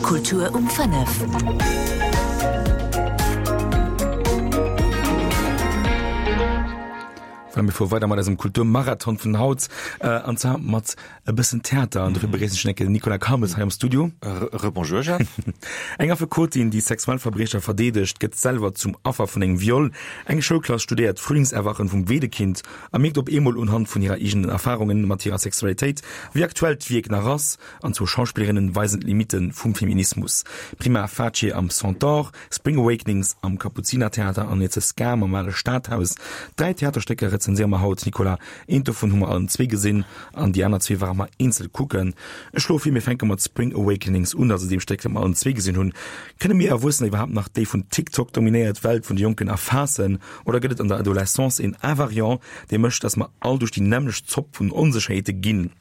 Kultur um 5. Voilà, mir fuere weider mat eisem Kulturmarathon vun haut, an zwar mat e bëssen Theater. An dofir begréissen ech enke den Nicolas Calmes hei am Studio. Rebonjour, Jeff. Eng Affekotin, déi Sexualverbriecher verdeedegt, gëtt selwer zum Affer vun engem Viol. Eng Schoulklass studéiert d'Frühlingserwachen vum Wedekind a mierkt op eemol unhand vun hirer eegenen Erfarungen mat hirer Sexualitéit, wéi aktuell d'Wierk nach ass. An zwou Schauspillerinnen weisen d'Limitte vum Feminismus, Prima Facie am Centaure, Spring Awakenings am Kapuzinertheater an It's a Scam am Ale Stadhaus. Dräi Theaterstécker rezenséiere mer haut, Nicolas. Eent dovun hu mer allen zwee gesinn an déi aner zwee ware mer eenzel kucken. Ech schloe vir, mir fänke mat Spring Awakenings un, also deem Stéck, dat mer allen zwee gesinn hunn. Kënne mir Erwuessener iwwerhaapt nach déi vun TikTok dominéiert Welt vun de Jonken erfaassen? Oder gëtt et an der Adolescence een Invariant, dee mécht, datt mer all duerch déi nämmlecht Zopp vun Onsécherheete ginn?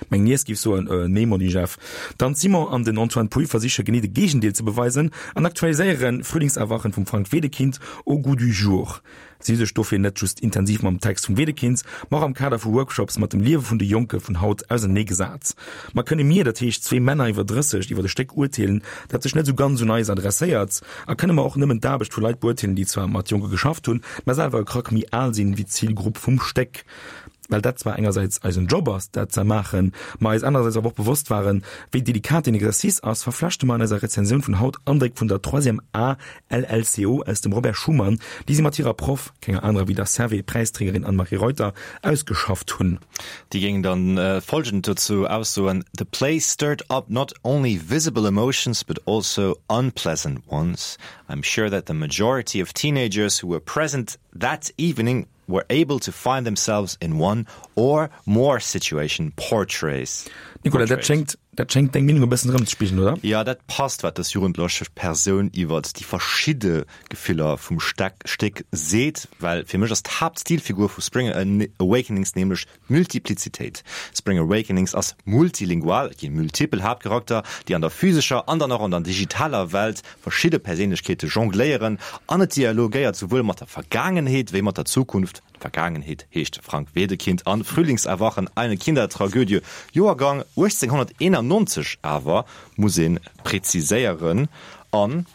Meng Niess géif soen, äh, nee Monni Jeff. D'Anne Simon an den Antoine Pouille versiche genee de Géigendeel ze beweisen an aktualiséieren Frühlingserwachen vum Frank Wedekind au goût du jour. Si hu sech dofir net just intensiv mam Text vum Wedekind, ma och am Kader vu Workshops mat dem Liewe vun de Jonke vun haut auserneegesat. Ma kënne mir, dat heescht zwee Männer iwwer 30, iwwer e Stéck urteelen, dat sech net esou ganz un eis adresséiert? A kënne mer och nëmmen d'Aarbecht vu Leit beurteelen, déi zwar mat Jonke geschafft hunn, mä selwer e Krack méi al sinn wéi d'Zilgrupp vum Stéck? Well dat zwar engersäits eisen Job ass, dat ze maachen, ma eis anerersäits awer och bewosst waren, wéi delikat deen Exercice ass, verflechte mer an eiser Rezensioun vun haut Andréck vun der Troisième A LLCO aus dem Robert Schuman, déi si mat hirer Proff, kenger anerer wéi der Servais-Präisträgerin Anne-Marie Reuter, ausgeschafft hunn. Déi géing dann folgend dozou aussoen, The play stirred up not only visible emotions but also unpleasant ones. I'm sure that the majority of teenagers who were present that evening were able to find themselves in one or more situation portrays. Nicolas, dat schéngt, dat schéngt deng Meenung e bëssen erëmzespigelen, oder? Jo, dat passt, wat dës jugendlech Persoun iwwert déi verschidde Gefiller vum Steck, Stéck seet, well fir mech ass d'Haaptstilfigur vu Spring Awakenings nämlech d'Multiplizitéit. Spring Awakenings ass multilingual, et gi multipel Haaptcharakter, déi an der physescher an dann och an der digitaler Welt verschidde Perséinlechkeete jongléieren an et dialogéiert souwuel mat der Vergaangenheet wéi mat der Zukunft. D'Vergaangenheet heescht Frank Wedekind an Frühlingserwachen, eine Kindertragödie, Joergang 1891 awer, muss ee preziséieren, an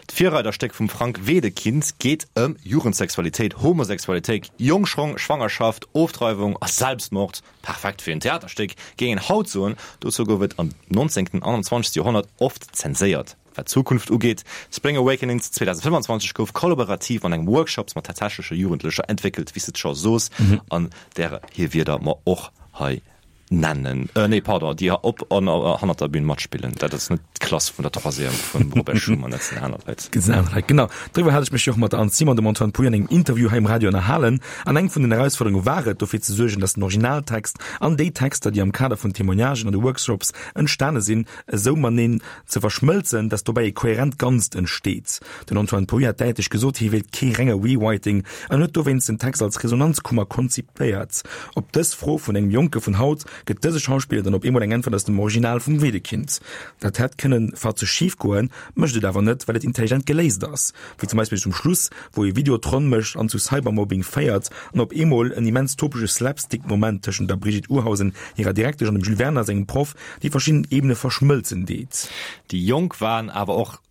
D'Virreiderstéck vum Frank Wedekind geet ëm Jugendsexualitéit, Homosexualitéit, Jongschrong, Schwangerschaft, Ofdreiwung a Selbstmord. Perfekt fir en Theaterstéck, géing een haut soen. Dozou gouf et am 19. an am 20. Joerhonnert oft zenséiert. Wat d'Zukunft ugeet, Spring Awakenings 2025 gouf kollaborativ an engem Workshops mat tatsächleche Jugendlecher entwéckelt, wéi s de et scho soos, an därer hir Wierder mer och hei Nennen, nee pardon, déi op an hannert der Bühn matspillen. Dat ass net d'Klass vun der Troisième vum Robert Schuman, dat sinn aner Leit. Dat sinn aner Leit, genau. Doriwwer hat ech mech jo och mat der Anne Simon an dem Antoine Pouille an engem Interview hei um Radio ënnerhalen. An eng vun den Erausfuerderunge war et, dofir ze suergen, datt den Originaltext an déi Texter, déi am Kader vun Témoignagen an de Workshops entstane sinn, esou mateneen ze verschmëlzen, datt dobäi e kohärent Ganzt entsteet. Den Antoine Pouille hat däitlech gesot, hie wéilt kee renge Rewriting an huet dowéinst den Text als Resonanzkummer konzipéiert. Op dës Fro vun engem Jonke vun haut gëtt dëse Schauspiller dann op eemol eng Äntwert aus dem Original vum Wedekind. Dat hätt kënnen fatzeg schif goen, mécht et awer net, well et intelligent geléist ass. Wéi zum Beispill zum Schluss, wou ee Video d'Ronn mécht an zu Cybermobbing féiert an op eemol en immens topege Slapstick-Moment tëschent der Brigitte Urhausen hirer Direktesch an dem Jules Werner sengem Proff déi verschidden Ebene verschmëlzen deet. Déi Jonk waren awer och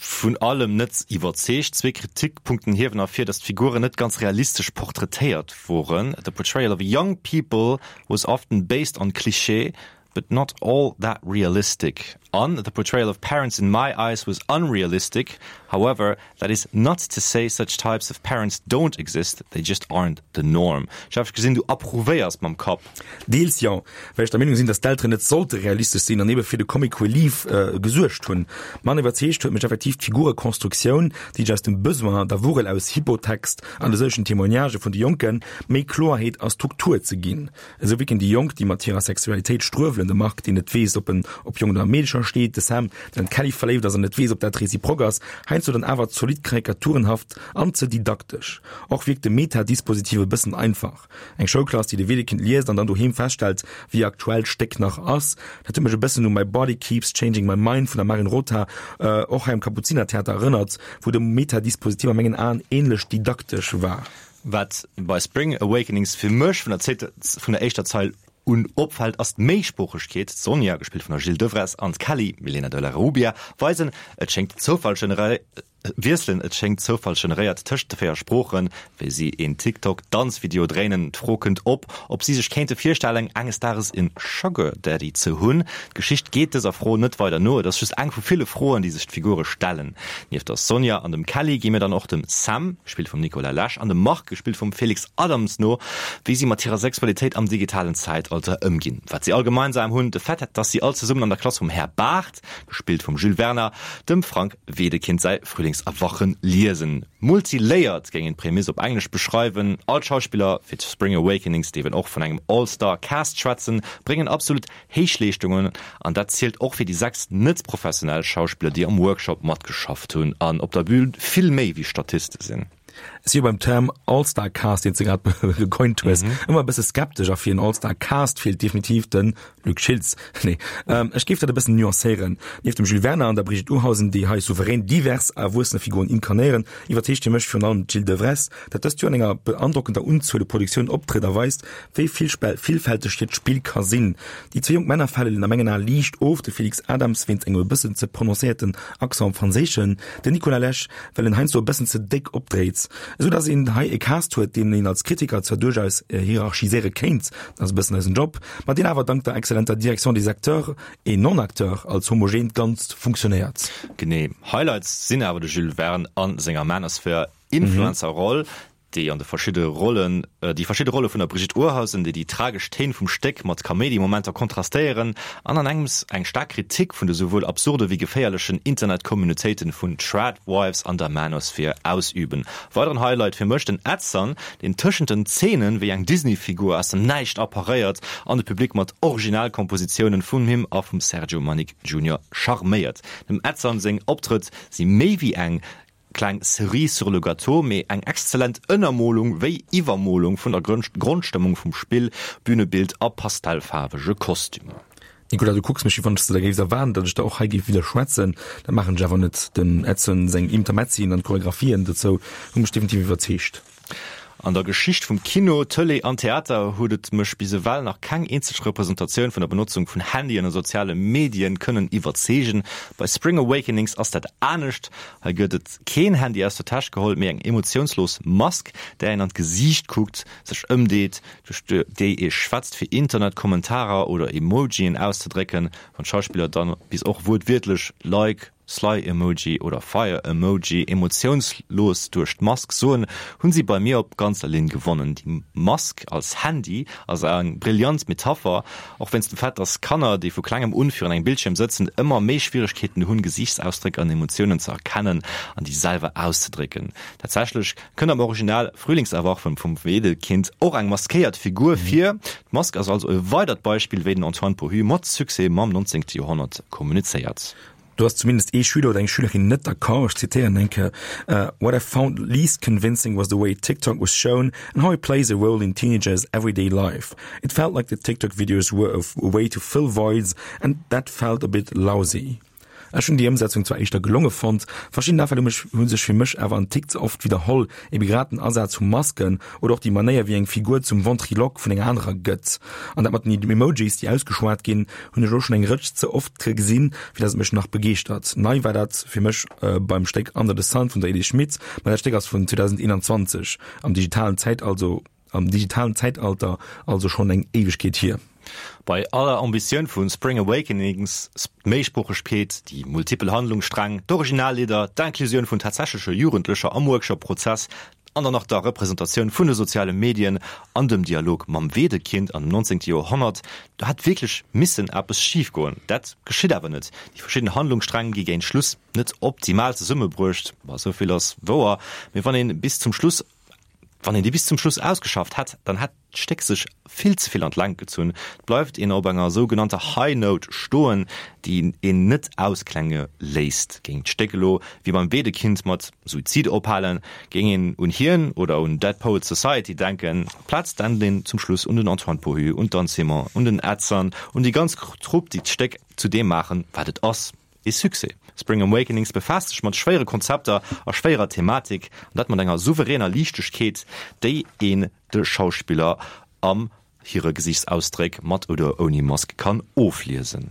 vun allem net iwwerzeegt. Zwee Kritikpunkten hiewen ervir, datt d'Figuren net ganz realistesch portraitéiert woren, The portrayal of young people was often based on cliché, but not all that realistic an The portrayal of parents in my eyes was unrealistic, however, that is not to say such types of parents don't exist, they just aren't the norm. Jeff, ech gesinn, du approuvéiers mam Kapp. Deels jo, well ech der Meenung sinn, dass d'Elteren net sollte realistesch sinn an ebe fir de Comic Relief gesuergt hunn. Manner iwwerzeegt huet mech effektiv d'Figurekonstruktioun, déi sech aus dem Besoin, der Wurel aus Hypotext an de sëllegen Témoignagë vun de Jonken, méi Kloerheet a Struktur ze ginn. Esou wierken déi Jonk, déi mat hirer Sexualitéit struewelen, de Marc, deen net weess, ob en op Jongen oder Meedecher steet, de Sam, deen an d'Kelly verléift ass an net weess, ob dat reziprok ass, heiansdo dann awer zolidd karikaturenhaft an ze didaktesch. Och wierkt de Meta-Dispositiv e bëssen einfach. Eng Schoulklass, déi de Wedekind liest an dann doheem feststellt, wéi aktuell d'Stéck nach ass. Dat huet mech e bëssen u My Body Keeps Changing My Mind vun der Marin Rota, och hei am Kapuzinertheater, erënnert, wou de Meta-Dispositiv a mengen Aen ähnlech didaktesch war. Wat bei Spring Awakenings fir mech vun der vun der éischter Zeil. Un opfält ass d'Méisproochegkeet, D'Sonja, gespillt vun der Jill Devresse, an d'Kelly, Milena de la Rubia, weisen, et schéngt Zoufall wiesselen, et schéngt zoufallsgeneréiert, tëscht de 4 Sproochen, wéi si een TikTok-Danzvideo dréinen. D'Fro kënnt op, ob si sech kéinte virstellen, enges Dages en Sugar Daddy ze hunn. D'Geschicht geet dëser Fro net weider no, et ass just eng vu ville Froen, déi sech d'Figure stellen. Nieft der Sonja an dem Kelly gi mir dann och dem Sam, gespillt vum Nicolas Lesch, an dem Marc, gespillt vum Felix Adams, no, wéi si mat hirer Sexualitéit am digitalen Zäitalter ëmginn. Wat si all gemeinsam hunn, de Fait, dass si all zesummen an der Klass vum Här Barth, gespillt vum Jules Werner, dem Frank Wedekind säi Frühlingserwachen liesen. Multilayered géing een d'Prämiss op Englesch beschreiwen. All d'Schauspiller, fir Spring Awakenings dierf een och vun engem All-Star Cast schwätzen, bréngen absolut Héichleeschtungen an dat zielt och fir déi 6 net-professionell Schauspiller, déi am Workshop matgeschafft hunn an op der Bühn vill méi wéi Statiste sinn. Ech si jo beim Term All-Star Cast, deen s de grad gecoint hues, ëmmer e bësse skeptesch a fir en All-Star Cast feelt definitiv de Luc Schiltz. Nee, ech géif dat e bëssen nuancéieren. Nieft dem Jules Werner an der Brigitte Urhausen, déi hei souverän divers erwuessene Figuren inkarnéieren, iwwerzeegt fir mech virun allem d'Jill Devresse, dat dëst Joer an enger beandrockender Unzuel u Produktiounen optrëtt a weist, wéi villfälteg hiert Spill ka sinn. Déi zwee jonk Männer falen a mengen Ae liicht of, de Felix Adams wéinst engem e bëssen ze prononcéierten Accent am Franséischen, den Nicolas Lesch well en heiansdo e bëssen ze déck opdréit, esou datt een hei e Cast huet, deen een als Kritiker zwar duerchaus hierarchiséiere kéint, dat ass e bëssen eisen Job, ma deen awer dank der exzellenter Direction des acteurs et non-acteurs als homogeent Ganzt funktionéiert. Genee. Highlights sinn awer de Jules Verne a senger Manosphere-Influencer-Roll, déi an de verschidde Rollen, déi verschidde Rolle vun der Brigitte Urhausen, déi déi tragesch Téin vum Stéck mat Kaméidi-Momenter kontrastéieren an an engems eng staark Kritik vun de souwuel absurde wéi geféierlechen Internet-Communautéiten vun Tradwives an der Manosphere ausüben. Weideren Highlight fir mech, den Edson, deen tëschent den Zeenen wéi eng Disney-Figur aus dem Näischt apparéiert an de Public mat Originalkompositiounen vun him a vum Sergio Manic Junior charméiert. Dem Edson seng Optrëtt si méi wéi eng Kleng Cerise sur le gâteau, mee eng exzellent Ënnermolung wéi Iwwermolung vun der Grondstëmmung vum Spill, Bünebild a pastellfaarwege Kostümer. Nicolas, du kucks mech, wéi wann s de der géifs erwaarden, datt ech der och hei géif widderschwätzen. Dat maachen ech awer net. Dem Edson seng Intermezzien an d'Choreographien dozou hu mech definitiv iwwerzeegt. An der Geschicht vum Kino, Tëlee an Theater huet et mech bis ewell nach keng eenzeg Representatioun vun der Benotzung vun Handyen a soziale Medien kënnen iwwerzeegen. Bei Spring Awakenings ass dat anescht. Hei gëtt et keen Handy aus der Täsch geholl, mee eng emotiounslos Mask, där een an d'Gesiicht kuckt, sech ëmdeet, duerch déi ee schwätzt, fir Internet-Kommentarer oder Emojien auszedrécken, wann d'Schauspiller dann bis och wuertwiertlech Like, Sly-Emoji oder Fire-Emoji emotiounslos duerch d'Mask soen, hunn si bei mir op ganzer Linn gewonnen. Déi Mask als Handy ass eng brillant Metapher, och wéinst dem Fait, dass Kanner, déi vu klengem un virun engem Bildschierm sëtzen, ëmmer méi Schwieregkeeten hunn, Gesiichtsausdréck an Emotiounen ze erkennen an déi selwer auszedrécken. Tatsächlech Kënnt am Original Frühlingserwachen vum Wedekind och eng maskéiert Figur vir. D'Mask ass also e weidert Beispill, wéi den Antoine Pohu mat Succès mam 19. Joerhonnert kommunizéiert. Do ass zumindest ee Schüler oder eng Schülerin net d'accord. Ech zitéieren eng Kéier, What I found least convincing was the way TikTok was shown and how it plays a role in teenagers' everyday life. It felt like the TikTok videos were a way to fill voids and that felt a bit lousy. Ech hunn déi Ëmsetzung zwar éischter gelonge fonnt, verschidden Afäll hu mech hu sech fir mech awer en Tick ze oft widderholl, ebe grad den Asaz vu Masken oder och déi Manéier wéi eng Figur zum Ventriloque vun enger anerer gëtt. An dat mat den Emojis déi ausgeschwat ginn, hunn ech elo schonn eng Rëtsch ze oft gesinn, fir dass et mech nach begeeschtert. Nei war dat fir mech beim Stéck Under the Sun vun der Elise Schmit, ma dat Stéck ass vun 2021, am digitalen Zäitalso. Am digitalen Zäitalter also schonn eng Éiwegkeet hier. Bei aller Ambitioun vu Spring Awakenings, d'Méisproochegkeet, déi multipel Handlungssträng, d'Originallidder, d'Inclusioun vun tatsächleche Jugendlecher am Workshop-Prozess an dann nach der Representatioun vun de soziale Medien an dem Dialog mam Wedekind an dem 19. Joerhonnert, do hätt wierklech missen eppes schif goen. Dat geschitt awer net. Déi verschidden Handlungssträng gi géint Schluss net optimal zesummebruecht, ma esou vill ass wouer, mee wann ee bis zum Schluss Wann een déi bis zum Schluss ausgeschafft hätt, dann hätt d'Stéck sech vill ze vill an d'Längt gezunn. Et bleift een op enger sougenannter High Note stoen, déi een net ausklenge léisst. Géing d'Stéck elo wéi beim Wedekind mat Suizid ophalen, géing een un hien oder un Dead Poets Society denken. Amplaz denkt een zum Schluss un den Antoine Pohu, un d'Anne Simon, un den Edson, un déi ganz Trupp, déi d'Stéck zu deem maachen, wat et ass. Ee Succès! Spring Awakenings befaasst sech mat schwéiere Konzepter a schwéierer Thematik, an dat mat enger souveräner Liichtegkeet, déi een de Schauspiller am. hire Gesiichtsausdréck mat oder ouni Mask kann ofliesen.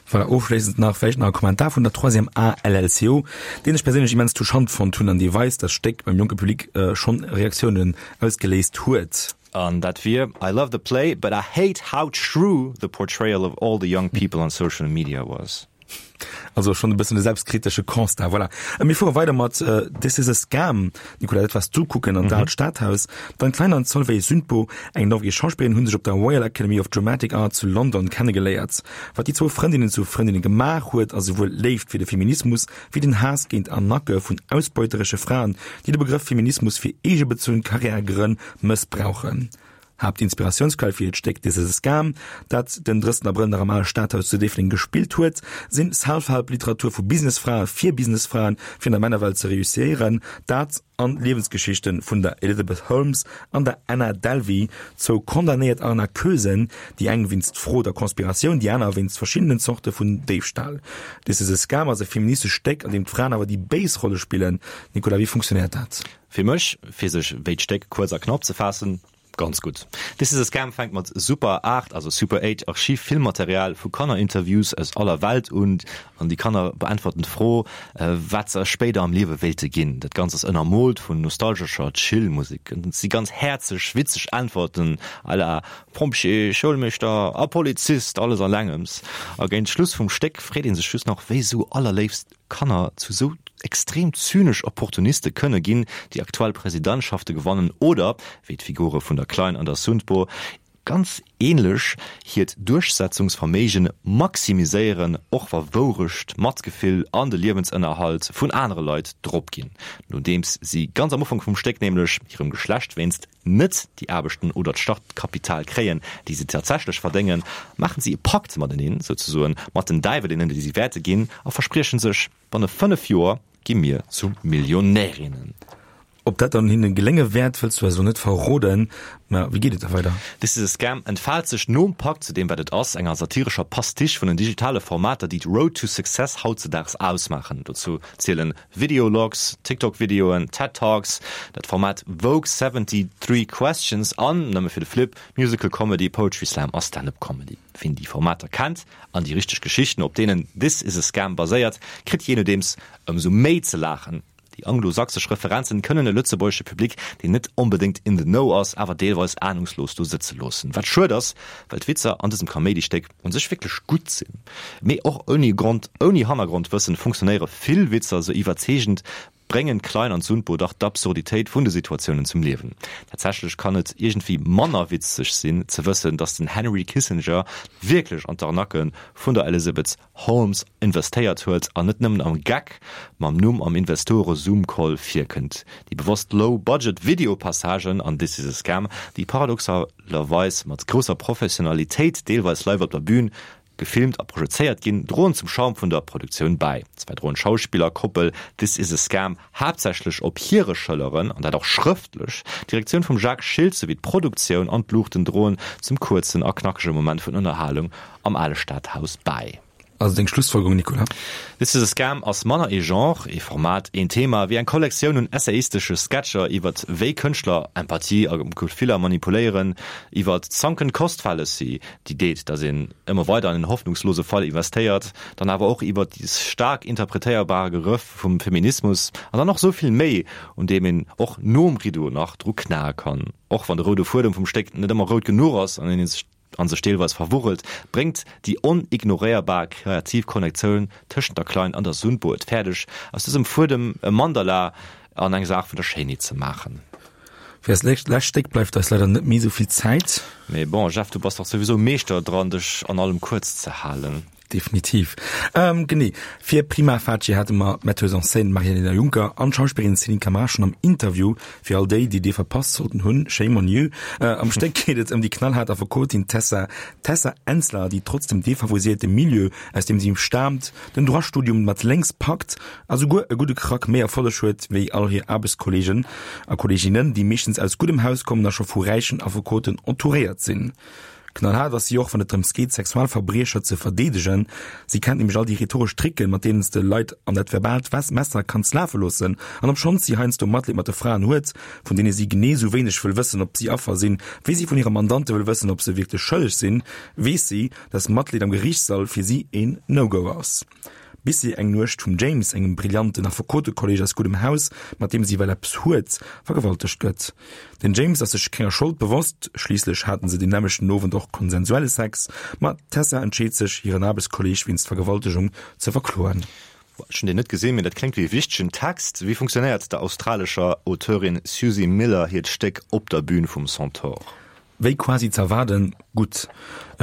Voilà, ofschléissend nach vläicht nach e Kommentar vun der Troisième A LLCO, deen ech perséinlech immens touchant fonnt hunn an dee weist, dass d'Stéck beim jonke Public schonn Reaktiounen ausgeléist huet. An dat wier, I love the play, but I hate how true the portrayal of all the young people on social media was. Also schonn e bëssen e selbstkritesche Constat. Voilà. Mir fuere weider mat This is a Scam. Nicolas, dat wars du kucken an d'Aalt Stadhaus. D'Anne Klein an d'Solveig Sundbo, eng norwegesch Schauspillerin, hu sech op der Royal Academy of Dramatic Art zu London kennegeléiert. Wat déi zwou Frëndinnen zu Frëndinne gemaach huet, ass esouwuel d'Léift fir de Feminismus wéi den Haass géint Arnaquë vun ausbeuteresche Fraen, déi de Begrëff Feminismus fir eegebezunn Karriärgrënn mëssbrauchen. Haaptinspiratiounsquell fir hiert Stéck This is a Scam, dat den 30 Abrëll nach am Ale Stadhaus zu Déifferdeng gespillt huet, sinn Self-Help-Literatur vu Businessfrae fir Businessfraen, fir an der Männerwelt ze reusséieren. Dat an d'Liewensgeschichte vun der Elizabeth Holmes an der Anna Delvey, zwou condamnéiert Arnaqueusen, déi eng wéinst Frod a Konspiratioun, déi aner wéinst verschiddenen Zorte vun Déifstal. This is a Scam ass e feministescht Stéck, an deem d'Fraen awer déi béis Rolle spillen. Nicolas, wéi funktionéiert dat? Fir mech, fir sech wéi d'Stéck kuerz a knapp ze faassen, ganz gutt. This is a Scam fänkt mat Super 8, also Super 8 Archiv-Filmmaterial vu Kannerinterviews aus aller Welt un, an déi Kanner beäntwerten d'Fro, wat se spéider am Liewe wéilte ginn. Dat Ganzt ass ënnermoolt vun nostalgescher Chill-Musek. Et si ganz häerzeg, witzeg Äntwerten à la Pompjee, Schoulmeeschter a Polizist, alles an engems. A géint Schluss vum Stéck freet ee sech just nach, wéi esou allerléifst Kanner zu sou extrem zynesch Opportuniste kënne ginn, déi aktuell Presidentschafte gewannen oder, wéi d'Figure vun der Klein an der Sundbo, ganz ähnlech hiert Duerchsetzungsverméigen maximiséieren, och wa Wourecht, Matgefill an de Liewensënnerhalt vun anere Leit drop ginn, nodeems si ganz am Ufank vum Stéck nämlech hirem Geschlecht wéinst net déi Aarbechten oder d'Startkapital kréien, déi se tatsächlech verdéngen, maachen si e Pakt mateneen, souzesoen mat den Däiwelinnen, déi si wäerte ginn, a verspriechen sech, Banne 5 Joer gi mir zu Millionärinnen. Ob dat dann hinne gelénge wäert, wëlls du eis elo net verroden. Mä wéi geet et da weider? This is a Scam entfaalt sech nom Pakt zu deem, wat et ass, enger satirescher Pastiche vun den digitale Formater, déi d'Road to Success hautzedaags ausmaachen. Dozou zielen Videologs, TikTok-Videoen, TED Talks, dat Format Vogue 73 Questions an, nëmme fir de Flip, Musical Comedy, Poetry Slam a Stand-Up Comedy. Wien déi Formater kennt an déi richteg Geschichten, op deenen This is a Scam baséiert, kritt jee nodeems ëmsou méi ze laachen. Déi anglo-sachsesch Referenzen kënnen e lëtzebuergesche Public, deen net onbedéngt in the know ass, awer deelweis anungslos do sëtze loossen. Wat schued ass, well d'Witzer an dësem Kaméidistéck un sech wierklech gutt sinn. Mee och ouni Grond, ouni Hannergrondwëssen funktionéiere vill Witzer sou iwwerzeegend, bréngen d'Klein an d'Sundbo dach d'Absurditéit vun de Situatiounen zum Liewen. Tatsächlech kann et iergendwéi manner witzeg sinn ze wëssen, datt den Henry Kissinger wierklech an d'Arnaque vun der Elizabeth Holmes investéiert huet an net nëmmen am Geck mam Numm am Investore-Zoom-Call virkënnt. Déi bewosst Low-Budget-Video-Passagen an This is a Scam, déi paradoxalerweis mat grousser Professionalitéit deelweis live op der Bühn gefilmt a projezéiert ginn, droen zum Charme vun der Produktioun bäi. Zwar droen d'Schauspillerkoppel This is a Scam haaptsächlech op hire Schëlleren, an dat och schrëftlech, d'Direktioun vum Jacques Schiltz souwéi d'Produktioun an d'Luuchten droen zum kuerzen a knackege Moment vun Ënnerhalung am ale Stadhaus bäi. Also deng Schlussfolgerung, Nicolas? This is a Scam ass manner ee Genre, ee Format, een Thema, wéi eng Kollektioun un essayistesche Sketcher iwwert wéi Kënschtler Empathie a Gefiller manipuléieren, iwwert d'Sunken Cost Fallacy, déi deet, datt een ëmmer weider an en hoffnungslose Fall investéiert, dann awer och iwwert déi staark interpretéierbar Gerëff vum Feminismus an dann och esou vill méi, un deem een och nom Rideau nach dru knae kann. Och wann de roude Fuedem vum Stéck net ëmmer rout genuch ass an een sech a sech deelweis verwurrelt, bréngt déi onignoréierbar kreativ Konnektioun tëschent der Klein an der Sundbo et fäerdeg, aus dësem Fuedem e Mandala an eng Saach vun der Schéinheet ze maachen. Fir eist lescht Stéck bleift eis leider net méi esou vill Zäit. Mee bon, Jeff, du bass dach souwisou Meeschter dran, dech an allem kuerz ze halen. Definitiv. Genee. Fir Prima Facie hate mer d'Metteuse en scène Maria-Elena Juncker an d'Schauspillerin Céline Camara schonn am Interview. Fir all déi, déi dee verpasst sollten hunn, shame on you. Am Stéck geet et ëm déi knallhaart Affekotin Tessa Tessa Ensler, déi trotz dem defavorisierte Milieu, aus deem si staamt, den Droit-Studium mat lénks packt a souguer e gudde Krack méi Erfolleg huet wéi all hir Aarbechtskolleegen a Kolleeginnen, déi meeschtens aus guddem Haus kommen a scho vu räichen Affekoten entouréiert sinn. Knallhaart ass si och, wann et drëms geet, Sexualverbriecher ze verdeedegen. Si kennt nämlech all déi rhetoresch Tricken, mat deenen s de Leit an dat verbaalt Messer kanns lafe loossen. An obschonns si heiansdo Matleed mat de Fraen huet, vun deene si genee sou wéineg wëll wëssen, ob si Affer sinn, wéi si vun hire Mandante wëll wëssen, ob se wierklech schëlleg sinn, weess si, dass Matleed am Geriichtssall fir si een No-Go ass. Bis si eng Nuecht vum James, engem brillanten Affekotekolleg aus guddem Haus, mat deem si well eppes huet, vergewaltegt gëtt. Den James ass sech kenger Schold bewosst, schliisslech haten se deen nämmlechten Owend och konsensuelle Sex, ma d'Tessa entscheet sech, hiren Aarbechtskolleg wéinst Vergewaltegung ze verkloen. Ech hunn deen net gesinn, mee dat kléngt wéi e wichtegen Text. Wéi funktionéiert der australescher Auteurin Suzie Miller hiert Stéck op der Bün vum Centaure? Wéi quasi z'erwaarden, gutt.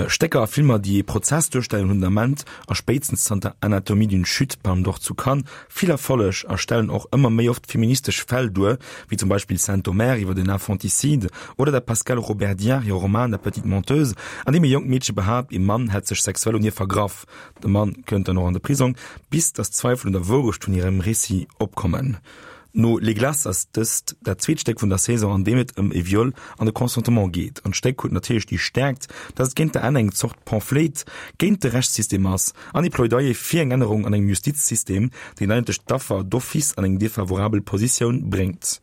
Stécker a Filmer, déi ee Prozess duerstellen, hunn den Ament, a spéitstens zanter Anatomie d'une chute, Palme d'Or zu Cannes, vill Erfolleg a stellen och ëmmer méi oft feministesch Fäll duer, wéi zum Beispill Saint-Omer iwwer en Infanticide oder der Pascale Robert-Diard hire Roman La petite menteuse, an deem e jonkt Meedche behaapt, ee Mann hätt sech sexuell un hir vergraff. De Mann kënnt dann och an de Prisong, bis datt Zweifel un der Wourecht vun hirem Récit opkommen. No Les Glaces ass dëst dat zweet Stéck vun der Saison, an deem et ëm e Viol an de Consentement geet. An d'Stéck huet natierlech déi Stäerkt, datt et géint der Enn eng Zort Pamphlet géint de Rechtssystem ass an ee Plädoyer fir eng Ännerung an engem Justizsystem, deen eigentlech d'Affer d'office an eng defavorabel Positioun bréngt.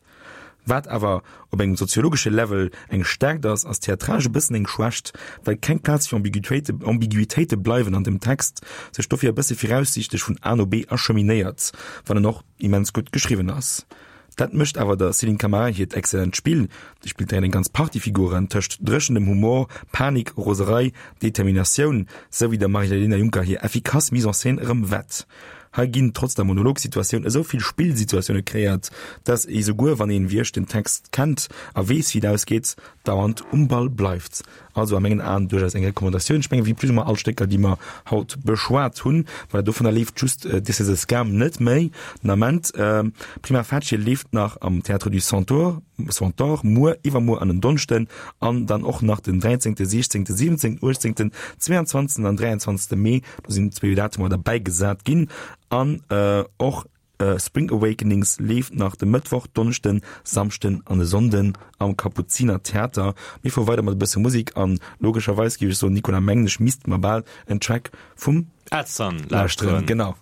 Wat awer op engem soziologesche Level eng Stäerkt ass, ass theatralesch e bëssen eng Schwächt, well keng Plaz fir Ambiguitéite bleiwen an dem Text sech dofir e bësse viraussiichtlech vun A no B acheminéiert, wann en och immens gutt geschriwwen ass. Dat mécht awer der Céline Camara hiert exzellent Spill, déi spillt dräin eng ganz Partie Figuren, tëscht dréchenem Humor, Panik, Roserei, Determinatioun, sou wéi der Marie-Lena Juncker hir effikass Mise en scène erëm wett. Hei ginn trotz der Monologsituatioun esou vill Spillsituatioune kreéiert, dass ee souguer wann een wéi ech den Text kennt a weess wéi et ausgeet, dauernd um Ball bleift. Also a mengen Aen duerchaus eng Recommandatioun. Ech mengen, wéi plus ou moins all Stécker, déi mer haut beschwat hunn. Voilà, dovunner leeft just This is a Scam net méi den Ament. Prima Facie leeft nach am Théâtre du Centaure, Centaure muer, iwwermuer an en Donneschden an dann och nach den 13., 16., 17., 18., 22. an 23. Mee. Do sinn zwéi Datumer derbäi gesat ginn. An och Spring Awakenings leeft nach de Mëttwoch, Donneschden, Samschden an e Sonnden am Kapuziner Theater. Mir fuere weider mat e bësse Musek an logescherweis géif ech soen, Nicolas, mengen ech misste mer bal en Track vum Edson lauschteren. Genau.